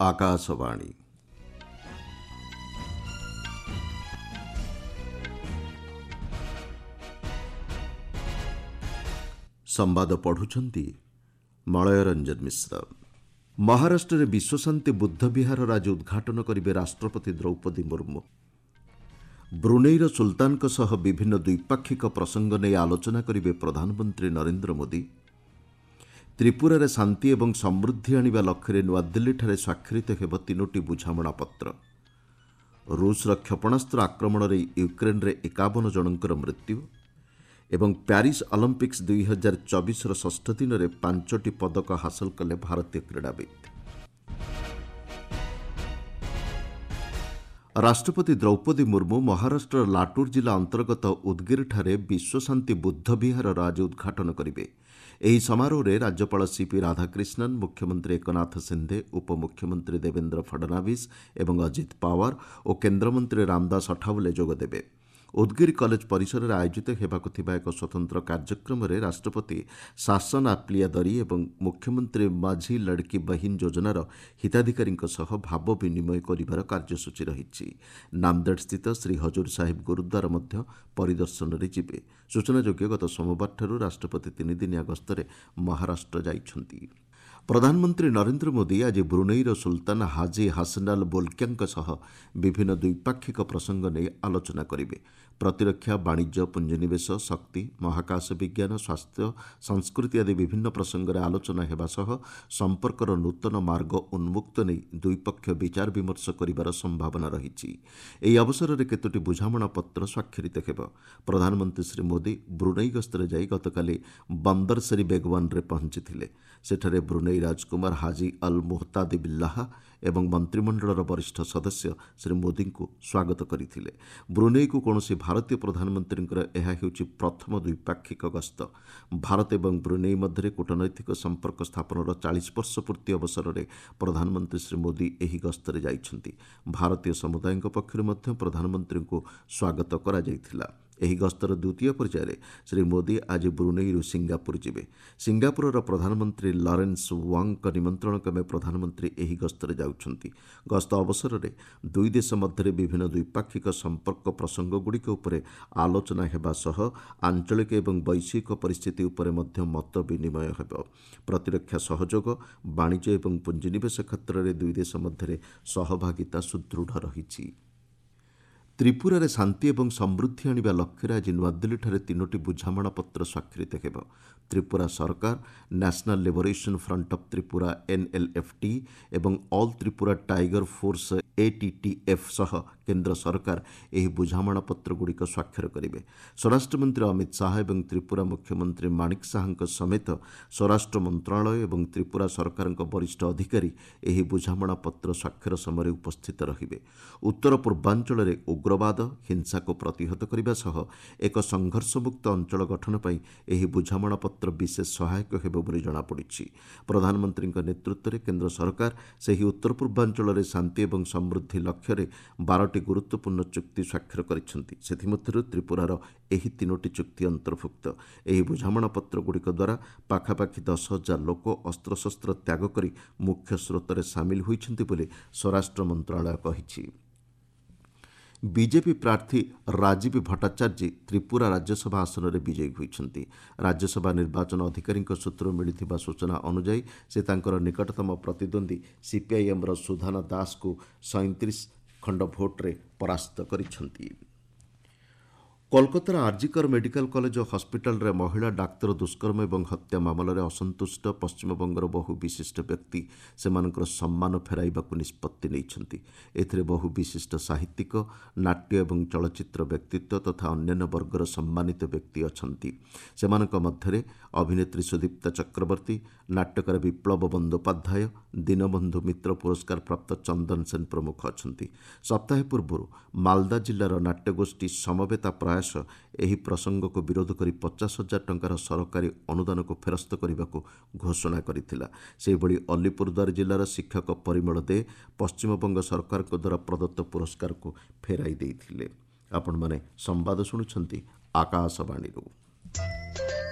ଆକାଶବାଣୀ। ସମ୍ବାଦ ପଢ଼ୁଛନ୍ତି ମଳୟ ରଞ୍ଜନ ମିଶ୍ର। ମହାରାଷ୍ଟ୍ରରେ ବିଶ୍ୱଶାନ୍ତି ବୁଦ୍ଧ ବିହାରର ଆଜି ଉଦ୍ଘାଟନ କରିବେ ରାଷ୍ଟ୍ରପତି ଦ୍ରୌପଦୀ ମୁର୍ମୁ। ବ୍ରୁନେଇର ସୁଲତାନଙ୍କ ସହ ବିଭିନ୍ନ ଦ୍ୱିପାକ୍ଷିକ ପ୍ରସଙ୍ଗ ନେଇ ଆଲୋଚନା କରିବେ ପ୍ରଧାନମନ୍ତ୍ରୀ ନରେନ୍ଦ୍ର ମୋଦି। ତ୍ରିପୁରାରେ ଶାନ୍ତି ଏବଂ ସମୃଦ୍ଧି ଆଣିବା ଲକ୍ଷ୍ୟରେ ନୂଆଦିଲ୍ଲୀଠାରେ ସ୍ୱାକ୍ଷରିତ ହେବ ତିନୋଟି ବୁଝାମଣାପତ୍ର। ରୁଷର କ୍ଷେପଣାସ୍ତ୍ର ଆକ୍ରମଣରେ ୟୁକ୍ରେନ୍ରେ 51 ଜଣଙ୍କର ମୃତ୍ୟୁ ଏବଂ ପ୍ୟାରିସ୍ ଅଲିମ୍ପିକ୍ସ 2024ର ଷଷ୍ଠ ଦିନରେ 5ଟି ପଦକ ହାସଲ କଲେ ଭାରତୀୟ କ୍ରୀଡ଼ାବିତ୍। ରାଷ୍ଟ୍ରପତି ଦ୍ରୌପଦୀ ମୁର୍ମୁ ମହାରାଷ୍ଟ୍ରର ଲାଟୁର ଜିଲ୍ଲା ଅନ୍ତର୍ଗତ ଉଦଗିରଠାରେ ବିଶ୍ୱଶାନ୍ତି ବୁଦ୍ଧ ବିହାରର ଆଜି ଉଦ୍ଘାଟନ କରିବେ। ଏହି ସମାରୋହରେ ରାଜ୍ୟପାଳ ସିପି ରାଧାକ୍ରିଷ୍ଣନ୍, ମୁଖ୍ୟମନ୍ତ୍ରୀ ଏକନାଥ ସିନ୍ଧେ, ଉପମୁଖ୍ୟମନ୍ତ୍ରୀ ଦେବେନ୍ଦ୍ର ଫଡନାଭିସ୍ ଏବଂ ଅଜିତ ପାୱାର ଓ କେନ୍ଦ୍ରମନ୍ତ୍ରୀ ରାମଦାସ ଅଠାୱଲେ ଯୋଗଦେବେ। ଉଦଗିରି କଲେଜ ପରିସରରେ ଆୟୋଜିତ ହେବାକୁ ଥିବା ଏକ ସ୍ୱତନ୍ତ୍ର କାର୍ଯ୍ୟକ୍ରମରେ ରାଷ୍ଟ୍ରପତି ଶାସନ ଆପ୍ଲିଆ ଦରୀ ଏବଂ ମୁଖ୍ୟମନ୍ତ୍ରୀ ମାଝି ଲଡ଼କି ବହିନ ଯୋଜନାର ହିତାଧିକାରୀଙ୍କ ସହ ଭାବ ବିନିମୟ କରିବାର କାର୍ଯ୍ୟସୂଚୀ ରହିଛି। ନାନ୍ଦେଡ଼ସ୍ଥିତ ଶ୍ରୀ ହଜୁର ସାହିବ ଗୁରୁଦ୍ୱାର ମଧ୍ୟ ପରିଦର୍ଶନରେ ଯିବେ। ସୂଚନାଯୋଗ୍ୟ, ଗତ ସୋମବାରଠାରୁ ରାଷ୍ଟ୍ରପତି ତିନିଦିନିଆ ଗସ୍ତରେ ମହାରାଷ୍ଟ୍ର ଯାଇଛନ୍ତି। ପ୍ରଧାନମନ୍ତ୍ରୀ ନରେନ୍ଦ୍ର ମୋଦି ଆଜି ବ୍ରୁନେଇର ସୁଲତାନ ହାଜି ହାସନାଲ ବୋଲକିଆଙ୍କ ସହ ବିଭିନ୍ନ ଦ୍ୱିପାକ୍ଷିକ ପ୍ରସଙ୍ଗ ନେଇ ଆଲୋଚନା କରିବେ। ପ୍ରତିରକ୍ଷା, ବାଣିଜ୍ୟ, ପୁଞ୍ଜିନିବେଶ, ଶକ୍ତି, ମହାକାଶ ବିଜ୍ଞାନ, ସ୍ୱାସ୍ଥ୍ୟ, ସଂସ୍କୃତି ଆଦି ବିଭିନ୍ନ ପ୍ରସଙ୍ଗରେ ଆଲୋଚନା ହେବା ସହ ସମ୍ପର୍କର ନୂତନ ମାର୍ଗ ଉନ୍ମୁକ୍ତ ନେଇ ଦୁଇପକ୍ଷ ବିଚାର ବିମର୍ଶ କରିବାର ସମ୍ଭାବନା ରହିଛି। ଏହି ଅବସରରେ କେତୋଟି ବୁଝାମଣାପତ୍ର ସ୍ୱାକ୍ଷରିତ ହେବ। ପ୍ରଧାନମନ୍ତ୍ରୀ ଶ୍ରୀ ମୋଦି ବ୍ରୁନେଇ ଗସ୍ତରେ ଯାଇ ଗତକାଲି ବନ୍ଦର ସେରି ବେଗୱାନରେ ପହଞ୍ଚିଥିଲେ। ସେଠାରେ ବ୍ରୁନେଇ ରାଜକୁମାର ହାଜି ଅଲ୍ ମୁହତାଦି ବିଲ୍ଲାହା ଏବଂ ମନ୍ତ୍ରିମଣ୍ଡଳର ବରିଷ୍ଠ ସଦସ୍ୟ ଶ୍ରୀ ମୋଦିଙ୍କୁ ସ୍ୱାଗତ କରିଥିଲେ। ବ୍ରୁନେଇକୁ କୌଣସି ଭାରତୀୟ ପ୍ରଧାନମନ୍ତ୍ରୀଙ୍କର ଏହା ହେଉଛି ପ୍ରଥମ ଦ୍ୱିପାକ୍ଷିକ ଗସ୍ତ। ଭାରତ ଏବଂ ବ୍ରୁନେଇ ମଧ୍ୟରେ କୂଟନୈତିକ ସମ୍ପର୍କ ସ୍ଥାପନର 40 ବର୍ଷ ପୂର୍ତ୍ତି ଅବସରରେ ପ୍ରଧାନମନ୍ତ୍ରୀ ଶ୍ରୀ ମୋଦି ଏହି ଗସ୍ତରେ ଯାଇଛନ୍ତି। ଭାରତୀୟ ସମୁଦାୟଙ୍କ ପକ୍ଷରୁ ମଧ୍ୟ ପ୍ରଧାନମନ୍ତ୍ରୀଙ୍କୁ ସ୍ୱାଗତ କରାଯାଇଥିଲା। ଏହି ଗସ୍ତର ଦ୍ୱିତୀୟ ପର୍ଯ୍ୟାୟରେ ଶ୍ରୀ ମୋଦି ଆଜି ବ୍ରୁନେଇରୁ ସିଙ୍ଗାପୁର ଯିବେ। ସିଙ୍ଗାପୁରର ପ୍ରଧାନମନ୍ତ୍ରୀ ଲରେନ୍ସ ୱାଙ୍ଗଙ୍କ ନିମନ୍ତ୍ରଣ କ୍ରମେ ପ୍ରଧାନମନ୍ତ୍ରୀ ଏହି ଗସ୍ତରେ ଯାଉଛନ୍ତି। ଗସ୍ତ ଅବସରରେ ଦୁଇ ଦେଶ ମଧ୍ୟରେ ବିଭିନ୍ନ ଦ୍ୱିପାକ୍ଷିକ ସମ୍ପର୍କ ପ୍ରସଙ୍ଗଗୁଡ଼ିକ ଉପରେ ଆଲୋଚନା ହେବା ସହ ଆଞ୍ଚଳିକ ଏବଂ ବୈଶ୍ୱିକ ପରିସ୍ଥିତି ଉପରେ ମଧ୍ୟ ମତ ବିନିମୟ ହେବ। ପ୍ରତିରକ୍ଷା ସହଯୋଗ, ବାଣିଜ୍ୟ ଏବଂ ପୁଞ୍ଜିନିବେଶ କ୍ଷେତ୍ରରେ ଦୁଇ ଦେଶ ମଧ୍ୟରେ ସହଭାଗିତା ସୁଦୃଢ଼ ରହିଛି। ତ୍ରିପୁରାରେ ଶାନ୍ତି ଏବଂ ସମୃଦ୍ଧି ଆଣିବା ଲକ୍ଷ୍ୟରେ ଆଜି ନୂଆଦିଲ୍ଲୀଠାରେ ତିନୋଟି ବୁଝାମଣାପତ୍ର ସ୍ୱାକ୍ଷରିତ ହେବ। ତ୍ରିପୁରା ସରକାର, national liberation front of Tripura NLFT ଏବଂ ଅଲ୍ ତ୍ରିପୁରା ଟାଇଗର ଫୋର୍ସ ଏଟିଟିଏଫ୍ ସହ କେନ୍ଦ୍ର ସରକାର ଏହି ବୁଝାମଣାପତ୍ରଗୁଡ଼ିକ ସ୍ୱାକ୍ଷର କରିବେ। ସ୍ୱରାଷ୍ଟ୍ରମନ୍ତ୍ରୀ ଅମିତ ଶାହା ଏବଂ ତ୍ରିପୁରା ମୁଖ୍ୟମନ୍ତ୍ରୀ ମାଣିକ ଶାହାଙ୍କ ସମେତ ସ୍ୱରାଷ୍ଟ୍ର ମନ୍ତ୍ରଣାଳୟ ଏବଂ ତ୍ରିପୁରା ସରକାରଙ୍କ ବରିଷ୍ଠ ଅଧିକାରୀ ଏହି ବୁଝାମଣାପତ୍ର ସ୍ୱାକ୍ଷର ସମୟରେ ଉପସ୍ଥିତ ରହିବେ। ଉତ୍ତର ପୂର୍ବାଞ୍ଚଳରେ ଉଗ୍ରବାଦ, ହିଂସାକୁ ପ୍ରତିହତ କରିବା ସହ ଏକ ସଂଘର୍ଷମୁକ୍ତ ଅଞ୍ଚଳ ଗଠନ ପାଇଁ ଏହି ବୁଝାମଣାପତ୍ର ବିଶେଷ ସହାୟକ ହେବ ବୋଲି ଜଣାପଡ଼ିଛି। ପ୍ରଧାନମନ୍ତ୍ରୀଙ୍କ ନେତୃତ୍ୱରେ କେନ୍ଦ୍ର ସରକାର ସେହି ଉତ୍ତର ପୂର୍ବାଞ୍ଚଳରେ ଶାନ୍ତି ଏବଂ ସମୃଦ୍ଧି ଲକ୍ଷ୍ୟରେ 12ଟି ଗୁରୁତ୍ୱପୂର୍ଣ୍ଣ ଚୁକ୍ତି ସ୍ୱାକ୍ଷର କରିଛନ୍ତି। ସେଥିମଧ୍ୟରୁ ତ୍ରିପୁରାର ଏହି ତିନୋଟି ଚୁକ୍ତି ଅନ୍ତର୍ଭୁକ୍ତ। ଏହି ବୁଝାମଣାପତ୍ରଗୁଡ଼ିକ ଦ୍ୱାରା ପାଖାପାଖି 10,000 ଲୋକ ଅସ୍ତ୍ରଶସ୍ତ୍ର ତ୍ୟାଗ କରି ମୁଖ୍ୟ ସ୍ରୋତରେ ସାମିଲ ହୋଇଛନ୍ତି ବୋଲି ସ୍ୱରାଷ୍ଟ୍ର ମନ୍ତ୍ରଣାଳୟ କହିଛି। ବିଜେପି ପ୍ରାର୍ଥୀ ରାଜୀବ ଭଟ୍ଟାଚାର୍ଯ୍ୟ ତ୍ରିପୁରା ରାଜ୍ୟସଭା ଆସନରେ ବିଜୟୀ ହୋଇଛନ୍ତି। ରାଜ୍ୟସଭା ନିର୍ବାଚନ ଅଧିକାରୀଙ୍କ ସୂତ୍ରରୁ ମିଳିଥିବା ସୂଚନା ଅନୁଯାୟୀ ସେ ତାଙ୍କର ନିକଟତମ ପ୍ରତିଦ୍ୱନ୍ଦ୍ୱୀ ସିପିଆଇଏମ୍ର ସୁଧାନା ଦାସଙ୍କୁ 37 ଖଣ୍ଡ ଭୋଟ୍ରେ ପରାସ୍ତ କରିଛନ୍ତି। କୋଲକାତାର ଆର୍ଜିକର ମେଡିକାଲ କଲେଜ ଓ ହସ୍ପିଟାଲରେ ମହିଳା ଡାକ୍ତର ଦୁଷ୍କର୍ମ ଏବଂ ହତ୍ୟା ମାମଲାରେ ଅସନ୍ତୁଷ୍ଟ ପଶ୍ଚିମବଙ୍ଗର ବହୁ ବିଶିଷ୍ଟ ବ୍ୟକ୍ତି ସେମାନଙ୍କର ସମ୍ମାନ ଫେରାଇବାକୁ ନିଷ୍ପତ୍ତି ନେଇଛନ୍ତି। ଏଥିରେ ବହୁ ବିଶିଷ୍ଟ ସାହିତ୍ୟିକ, ନାଟ୍ୟ ଏବଂ ଚଳଚ୍ଚିତ୍ର ବ୍ୟକ୍ତିତ୍ୱ ତଥା ଅନ୍ୟାନ୍ୟ ବର୍ଗର ସମ୍ମାନିତ ବ୍ୟକ୍ତି ଅଛନ୍ତି। ସେମାନଙ୍କ ମଧ୍ୟରେ ଅଭିନେତ୍ରୀ ସୁଦୀପ୍ତା ଚକ୍ରବର୍ତ୍ତୀ, ନାଟ୍ୟକାର ବିପ୍ଳବ ବନ୍ଦୋପାଧ୍ୟାୟ, ଦୀନବନ୍ଧୁ ମିତ୍ର ପୁରସ୍କାର ପ୍ରାପ୍ତ ଚନ୍ଦନ ସେନ ପ୍ରମୁଖ ଅଛନ୍ତି। ସପ୍ତାହେ ପୂର୍ବରୁ ମାଲଦା ଜିଲ୍ଲାର ନାଟ୍ୟଗୋଷ୍ଠୀ ସମବେତା ପ୍ରୟାସ ଏହି ପ୍ରସଙ୍ଗକୁ ବିରୋଧ କରି 50,000 ଟଙ୍କାର ସରକାରୀ ଅନୁଦାନକୁ ଫେରସ୍ତ କରିବାକୁ ଘୋଷଣା କରିଥିଲା। ସେହିଭଳି ଅଲିପୁରଦ୍ୱାର ଜିଲ୍ଲାର ଶିକ୍ଷକ ପରିମଳ ଦେ ପଶ୍ଚିମବଙ୍ଗ ସରକାରଙ୍କ ଦ୍ୱାରା ପ୍ରଦତ୍ତ ପୁରସ୍କାରକୁ ଫେରାଇ ଦେଇଥିଲେ। ଆପଣମାନେ ସମ୍ବାଦ ଶୁଣୁଛନ୍ତି ଆକାଶବାଣୀରୁ।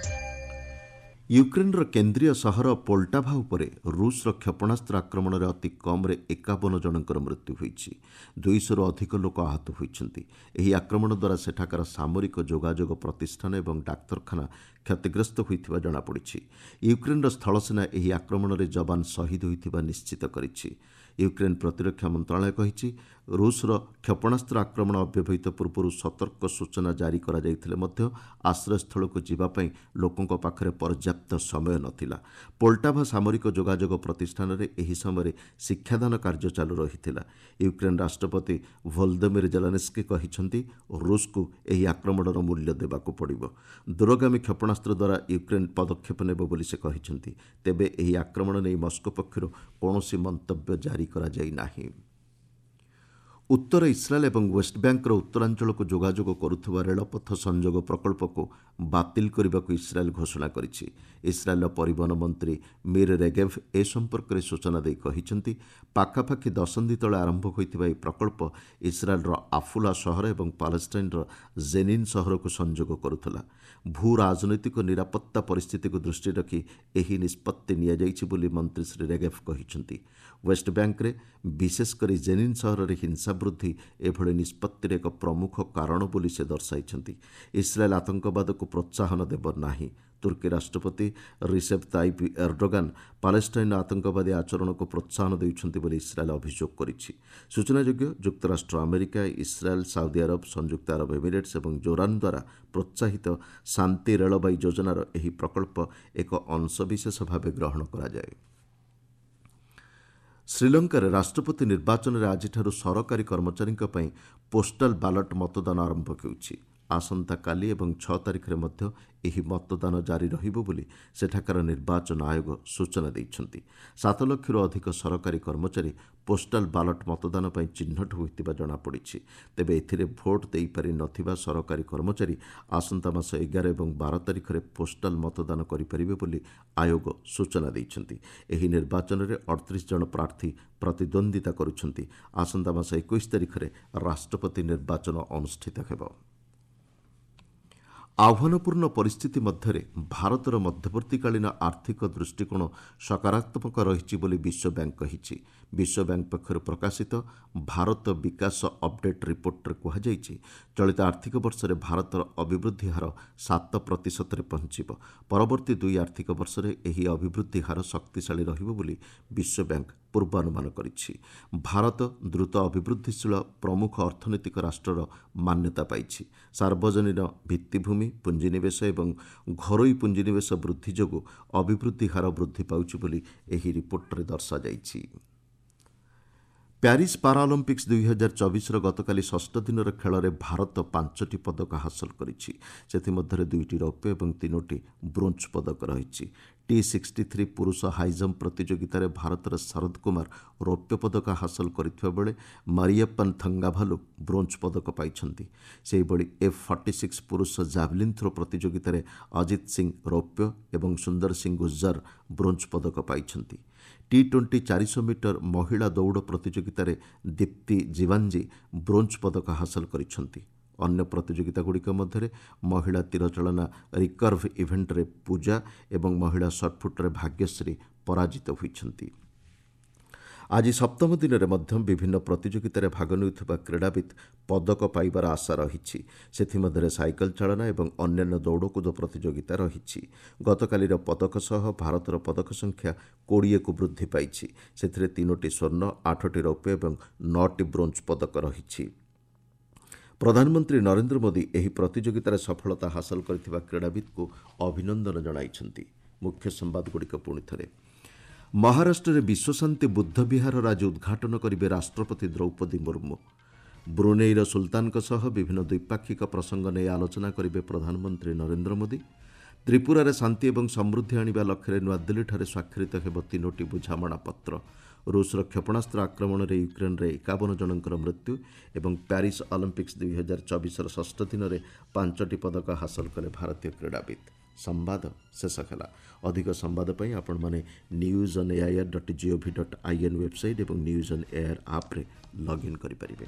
ୟୁକ୍ରେନ୍ର କେନ୍ଦ୍ରୀୟ ସହର ପୋଲ୍ଟାଭା ଉପରେ ରୁଷ୍ର କ୍ଷେପଣାସ୍ତ୍ର ଆକ୍ରମଣରେ ଅତି କମ୍ରେ 51 ଜଣଙ୍କର ମୃତ୍ୟୁ ହୋଇଛି। 200ରୁ ଅଧିକ ଲୋକ ଆହତ ହୋଇଛନ୍ତି। ଏହି ଆକ୍ରମଣ ଦ୍ୱାରା ସେଠାକାର ସାମରିକ ଯୋଗାଯୋଗ ପ୍ରତିଷ୍ଠାନ ଏବଂ ଡାକ୍ତରଖାନା କ୍ଷତିଗ୍ରସ୍ତ ହୋଇଥିବା ଜଣାପଡ଼ିଛି। ୟୁକ୍ରେନ୍ର ସ୍ଥଳସେନା ଏହି ଆକ୍ରମଣରେ ଯବାନ ଶହୀଦ ହୋଇଥିବା ନିଶ୍ଚିତ କରିଛି। ୟୁକ୍ରେନ୍ ପ୍ରତିରକ୍ଷା ମନ୍ତ୍ରଣାଳୟ କହିଛି, ରୁଷ୍ର କ୍ଷେପଣାସ୍ତ୍ର ଆକ୍ରମଣ ଅବ୍ୟବହିତ ପୂର୍ବରୁ ସତର୍କ ସୂଚନା ଜାରି କରାଯାଇଥିଲେ ମଧ୍ୟ ଆଶ୍ରୟସ୍ଥଳକୁ ଯିବା ପାଇଁ ଲୋକଙ୍କ ପାଖରେ ପର୍ଯ୍ୟାପ୍ତ ସମୟ ନଥିଲା। ପୋଲ୍ଟାଭା ସାମରିକ ଯୋଗାଯୋଗ ପ୍ରତିଷ୍ଠାନରେ ଏହି ସମୟରେ ଶିକ୍ଷାଦାନ କାର୍ଯ୍ୟ ଚାଲୁ ରହିଥିଲା। ୟୁକ୍ରେନ୍ ରାଷ୍ଟ୍ରପତି ଭୋଲଦମିର ଜେଲେନ୍ସ୍କି କହିଛନ୍ତି, ରୁଷ୍କୁ ଏହି ଆକ୍ରମଣର ମୂଲ୍ୟ ଦେବାକୁ ପଡ଼ିବ। ଦୂରଗାମୀ କ୍ଷେପଣାସ୍ତ୍ର ଦ୍ୱାରା ୟୁକ୍ରେନ୍ ପଦକ୍ଷେପ ନେବ ବୋଲି ସେ କହିଛନ୍ତି। ତେବେ ଏହି ଆକ୍ରମଣ ନେଇ ମସ୍କୋ ପକ୍ଷରୁ କୌଣସି ମନ୍ତବ୍ୟ ଜାରି କରାଯାଇ ନାହିଁ। ଉତ୍ତର ଇସ୍ରାଏଲ୍ ଏବଂ ୱେଷ୍ଟବ୍ୟାଙ୍କର ଉତ୍ତରାଞ୍ଚଳକୁ ଯୋଗାଯୋଗ କରୁଥିବା ରେଳପଥ ସଂଯୋଗ ପ୍ରକଳ୍ପକୁ ବାତିଲ କରିବାକୁ ଇସ୍ରାଏଲ୍ ଘୋଷଣା କରିଛି। ଇସ୍ରାଏଲ୍ର ପରିବହନ ମନ୍ତ୍ରୀ ମିର୍ ରେଗେଭ୍ ଏ ସମ୍ପର୍କରେ ସୂଚନା ଦେଇ କହିଛନ୍ତି, ପାଖାପାଖି ଦଶନ୍ଧି ତଳେ ଆରମ୍ଭ ହୋଇଥିବା ଏହି ପ୍ରକଳ୍ପ ଇସ୍ରାଏଲ୍ର ଆଫୁଲା ସହର ଏବଂ ପାଲେଷ୍ଟାଇନ୍ର ଜେନିନ୍ ସହରକୁ ସଂଯୋଗ କରୁଥିଲା। ଭୂ ରାଜନୈତିକ ନିରାପତ୍ତା ପରିସ୍ଥିତିକୁ ଦୃଷ୍ଟିରେ ରଖି ଏହି ନିଷ୍ପତ୍ତି ନିଆଯାଇଛି ବୋଲି ମନ୍ତ୍ରୀ ଶ୍ରୀ ରେଗେଭ୍ କହିଛନ୍ତି। ୱେଷ୍ଟବ୍ୟାଙ୍କରେ ବିଶେଷ କରି ଜେନିନ୍ ସହରରେ ହିଂସା ବୃଦ୍ଧି ଏଭଳି ନିଷ୍ପତ୍ତିର ଏକ ପ୍ରମୁଖ କାରଣ ବୋଲି ସେ ଦର୍ଶାଇଛନ୍ତି। ଇସ୍ରାଏଲ୍ ଆତଙ୍କବାଦକୁ ପ୍ରୋତ୍ସାହନ ଦେବ ନାହିଁ। ତୁର୍କୀ ରାଷ୍ଟ୍ରପତି ରିସେପ୍ ତାଇପ୍ ଏର୍ଡୋଗାନ୍ ପାଲେଷ୍ଟାଇନ୍ର ଆତଙ୍କବାଦୀ ଆଚରଣକୁ ପ୍ରୋତ୍ସାହନ ଦେଉଛନ୍ତି ବୋଲି ଇସ୍ରାଏଲ୍ ଅଭିଯୋଗ କରିଛି। ସୂଚନାଯୋଗ୍ୟ, ଯୁକ୍ତରାଷ୍ଟ୍ର ଆମେରିକା, ଇସ୍ରାଏଲ୍, ସାଉଦି ଆରବ, ସଂଯୁକ୍ତ ଆରବ ଏମିରେଟ୍ସ ଏବଂ ଜୋର୍ଡାନ୍ ଦ୍ୱାରା ପ୍ରୋତ୍ସାହିତ ଶାନ୍ତି ରେଳବାଇ ଯୋଜନାର ଏହି ପ୍ରକଳ୍ପ ଏକ ଅଂଶବିଶେଷ ଭାବେ ଗ୍ରହଣ କରାଯାଏ। ଶ୍ରୀଲଙ୍କାରେ ରାଷ୍ଟ୍ରପତି ନିର୍ବାଚନରେ ଆଜିଠାରୁ ସରକାରୀ କର୍ମଚାରୀଙ୍କ ପାଇଁ ପୋଷ୍ଟାଲ ବାଲଟ ମତଦାନ ଆରମ୍ଭ ହେଉଛି। ଆସନ୍ତାକାଲି ଏବଂ 6 ତାରିଖରେ ମଧ୍ୟ ଏହି ମତଦାନ ଜାରି ରହିବ ବୋଲି ସେଠାକାର ନିର୍ବାଚନ ଆୟୋଗ ସୂଚନା ଦେଇଛନ୍ତି। 7 ଲକ୍ଷରୁ ଅଧିକ ସରକାରୀ କର୍ମଚାରୀ ପୋଷ୍ଟାଲ ବାଲଟ ମତଦାନ ପାଇଁ ଚିହ୍ନଟ ହୋଇଥିବା ଜଣାପଡ଼ିଛି। ତେବେ ଏଥିରେ ଭୋଟ୍ ଦେଇପାରି ନଥିବା ସରକାରୀ କର୍ମଚାରୀ ଆସନ୍ତା ମାସ 11 ଏବଂ 12 ତାରିଖରେ ପୋଷ୍ଟାଲ ମତଦାନ କରିପାରିବେ ବୋଲି ଆୟୋଗ ସୂଚନା ଦେଇଛନ୍ତି। ଏହି ନିର୍ବାଚନରେ 38 ଜଣ ପ୍ରାର୍ଥୀ ପ୍ରତିଦ୍ୱନ୍ଦ୍ୱିତା କରୁଛନ୍ତି। ଆସନ୍ତା ମାସ 21 ତାରିଖରେ ରାଷ୍ଟ୍ରପତି ନିର୍ବାଚନ ଅନୁଷ୍ଠିତ ହେବ। ଆହ୍ୱାନପୂର୍ଣ୍ଣ ପରିସ୍ଥିତି ମଧ୍ୟରେ ଭାରତର ମଧ୍ୟବର୍ତ୍ତୀକାଳୀନ ଆର୍ଥିକ ଦୃଷ୍ଟିକୋଣ ସକାରାତ୍ମକ ରହିଛି ବୋଲି ବିଶ୍ୱ ବ୍ୟାଙ୍କ କହିଛି। ବିଶ୍ୱ ବ୍ୟାଙ୍କ ପକ୍ଷରୁ ପ୍ରକାଶିତ ଭାରତ ବିକାଶ ଅପଡେଟ୍ ରିପୋର୍ଟରେ କୁହାଯାଇଛି, ଚଳିତ ଆର୍ଥିକ ବର୍ଷରେ ଭାରତର ଅଭିବୃଦ୍ଧି ହାର 7%ରେ ପହଞ୍ଚିବ। ପରବର୍ତ୍ତୀ 2 ଆର୍ଥିକ ବର୍ଷରେ ଏହି ଅଭିବୃଦ୍ଧି ହାର ଶକ୍ତିଶାଳୀ ରହିବ ବୋଲି ବିଶ୍ୱ ବ୍ୟାଙ୍କ ପୂର୍ବାନୁମାନ କରିଛି। ଭାରତ ଦ୍ରୁତ ଅଭିବୃଦ୍ଧିଶୀଳ ପ୍ରମୁଖ ଅର୍ଥନୈତିକ ରାଷ୍ଟ୍ରର ମାନ୍ୟତା ପାଇଛି। ସାର୍ବଜନୀନ ଭିତ୍ତିଭୂମି ପୁଞ୍ଜିନିବେଶ ଏବଂ ଘରୋଇ ପୁଞ୍ଜିନିବେଶ ବୃଦ୍ଧି ଯୋଗୁଁ ଅଭିବୃଦ୍ଧି ହାର ବୃଦ୍ଧି ପାଉଛି ବୋଲି ଏହି ରିପୋର୍ଟରେ ଦର୍ଶାଯାଇଛି। ପ୍ୟାରିସ୍ ପାରାଅଲିମ୍ପିକ୍ସ 2024ର ଗତକାଲି ଷଷ୍ଠ ଦିନର ଖେଳରେ ଭାରତ 5ଟି ପଦକ ହାସଲ କରିଛି। ସେଥିମଧ୍ୟରେ 2ଟି ରୌପ୍ୟ ଏବଂ 3ଟି ବ୍ରୋଞ୍ଜ ପଦକ ରହିଛି। T63 ପୁରୁଷ ହାଇଜମ୍ପ ପ୍ରତିଯୋଗିତାରେ ଭାରତର ଶରଦ କୁମାର ରୌପ୍ୟ ପଦକ ହାସଲ କରିଥିବା ବେଳେ ମାରିୟପ୍ପନ ଥଙ୍ଗାଭାଲୁ ବ୍ରୋଞ୍ଜ ପଦକ ପାଇଛନ୍ତି। ସେହିଭଳି F46 ପୁରୁଷ ଜାଭଲିନ୍ ଥ୍ରୋ ପ୍ରତିଯୋଗିତାରେ ଅଜିତ ସିଂ ରୌପ୍ୟ ଏବଂ ସୁନ୍ଦର ସିଂ ଗୁଜ୍ଜର ବ୍ରୋଞ୍ଜ ପଦକ ପାଇଛନ୍ତି। T20 400 metre ମହିଳା ଦୌଡ଼ ପ୍ରତିଯୋଗିତାରେ ଦୀପ୍ତି ଜିବାଞ୍ଜି ବ୍ରୋଞ୍ଜ ପଦକ ହାସଲ କରିଛନ୍ତି। ଅନ୍ୟ ପ୍ରତିଯୋଗିତାଗୁଡ଼ିକ ମଧ୍ୟରେ ମହିଳା ତୀରଚାଳନା ରିକର୍ଭ ଇଭେଣ୍ଟରେ ପୂଜା ଏବଂ ମହିଳା ସଟ୍ପୁଟ୍ରେ ଭାଗ୍ୟଶ୍ରୀ ପରାଜିତ ହୋଇଛନ୍ତି। ଆଜି ସପ୍ତମ ଦିନରେ ମଧ୍ୟ ବିଭିନ୍ନ ପ୍ରତିଯୋଗିତାରେ ଭାଗ ନେଉଥିବା କ୍ରୀଡ଼ାବିତ୍ ପଦକ ପାଇବାର ଆଶା ରହିଛି। ସେଥିମଧ୍ୟରେ ସାଇକେଲ ଚାଳନା ଏବଂ ଅନ୍ୟାନ୍ୟ ଦୌଡ଼କୁଦ ପ୍ରତିଯୋଗିତା ରହିଛି। ଗତକାଲିର ପଦକ ସହ ଭାରତର ପଦକ ସଂଖ୍ୟା 20କୁ ବୃଦ୍ଧି ପାଇଛି। ସେଥିରେ 3ଟି ସ୍ୱର୍ଣ୍ଣ, 8ଟି ରୌପ୍ୟ ଏବଂ 9ଟି ବ୍ରୋଞ୍ଜ ପଦକ ରହିଛି। ପ୍ରଧାନମନ୍ତ୍ରୀ ନରେନ୍ଦ୍ର ମୋଦି ଏହି ପ୍ରତିଯୋଗିତାରେ ସଫଳତା ହାସଲ କରିଥିବା କ୍ରୀଡ଼ାବିତ୍କୁ ଅଭିନନ୍ଦନ ଜଣାଇଛନ୍ତି। ମୁଖ୍ୟ ସମ୍ବାଦଗୁଡ଼ିକ ପୁଣି ଥରେ। ମହାରାଷ୍ଟ୍ରରେ ବିଶ୍ୱଶାନ୍ତି ବୁଦ୍ଧ ବିହାରର ଆଜି ଉଦ୍ଘାଟନ କରିବେ ରାଷ୍ଟ୍ରପତି ଦ୍ରୌପଦୀ ମୁର୍ମୁ। ବ୍ରୁନେଇର ସୁଲତାନଙ୍କ ସହ ବିଭିନ୍ନ ଦ୍ୱିପାକ୍ଷିକ ପ୍ରସଙ୍ଗ ନେଇ ଆଲୋଚନା କରିବେ ପ୍ରଧାନମନ୍ତ୍ରୀ ନରେନ୍ଦ୍ର ମୋଦି। ତ୍ରିପୁରାରେ ଶାନ୍ତି ଏବଂ ସମୃଦ୍ଧି ଆଣିବା ଲକ୍ଷ୍ୟରେ ନୂଆଦିଲ୍ଲୀଠାରେ ସ୍ୱାକ୍ଷରିତ ହେବ 3ଟି ବୁଝାମଣାପତ୍ର। ରୁଷର କ୍ଷେପଣାସ୍ତ୍ର ଆକ୍ରମଣରେ ୟୁକ୍ରେନ୍ରେ 51 ଜଣଙ୍କର ମୃତ୍ୟୁ ଏବଂ ପ୍ୟାରିସ୍ ଅଲିମ୍ପିକ୍ସ 2024ର ଷଷ୍ଠ ଦିନରେ 5ଟି ପଦକ ହାସଲ କଲେ ଭାରତୀୟ କ୍ରୀଡ଼ାବିତ୍। ସମ୍ବାଦ ଶେଷ ହେଲା। ଅଧିକ ସମ୍ବାଦ ପାଇଁ ଆପଣମାନେ news on AIR dot GOV dot IN website ଏବଂ ନ୍ୟୁଜ୍ ଅନ୍ ଏଆଇଆର୍ ଆପ୍ରେ ଲଗ୍ଇନ୍ କରିପାରିବେ।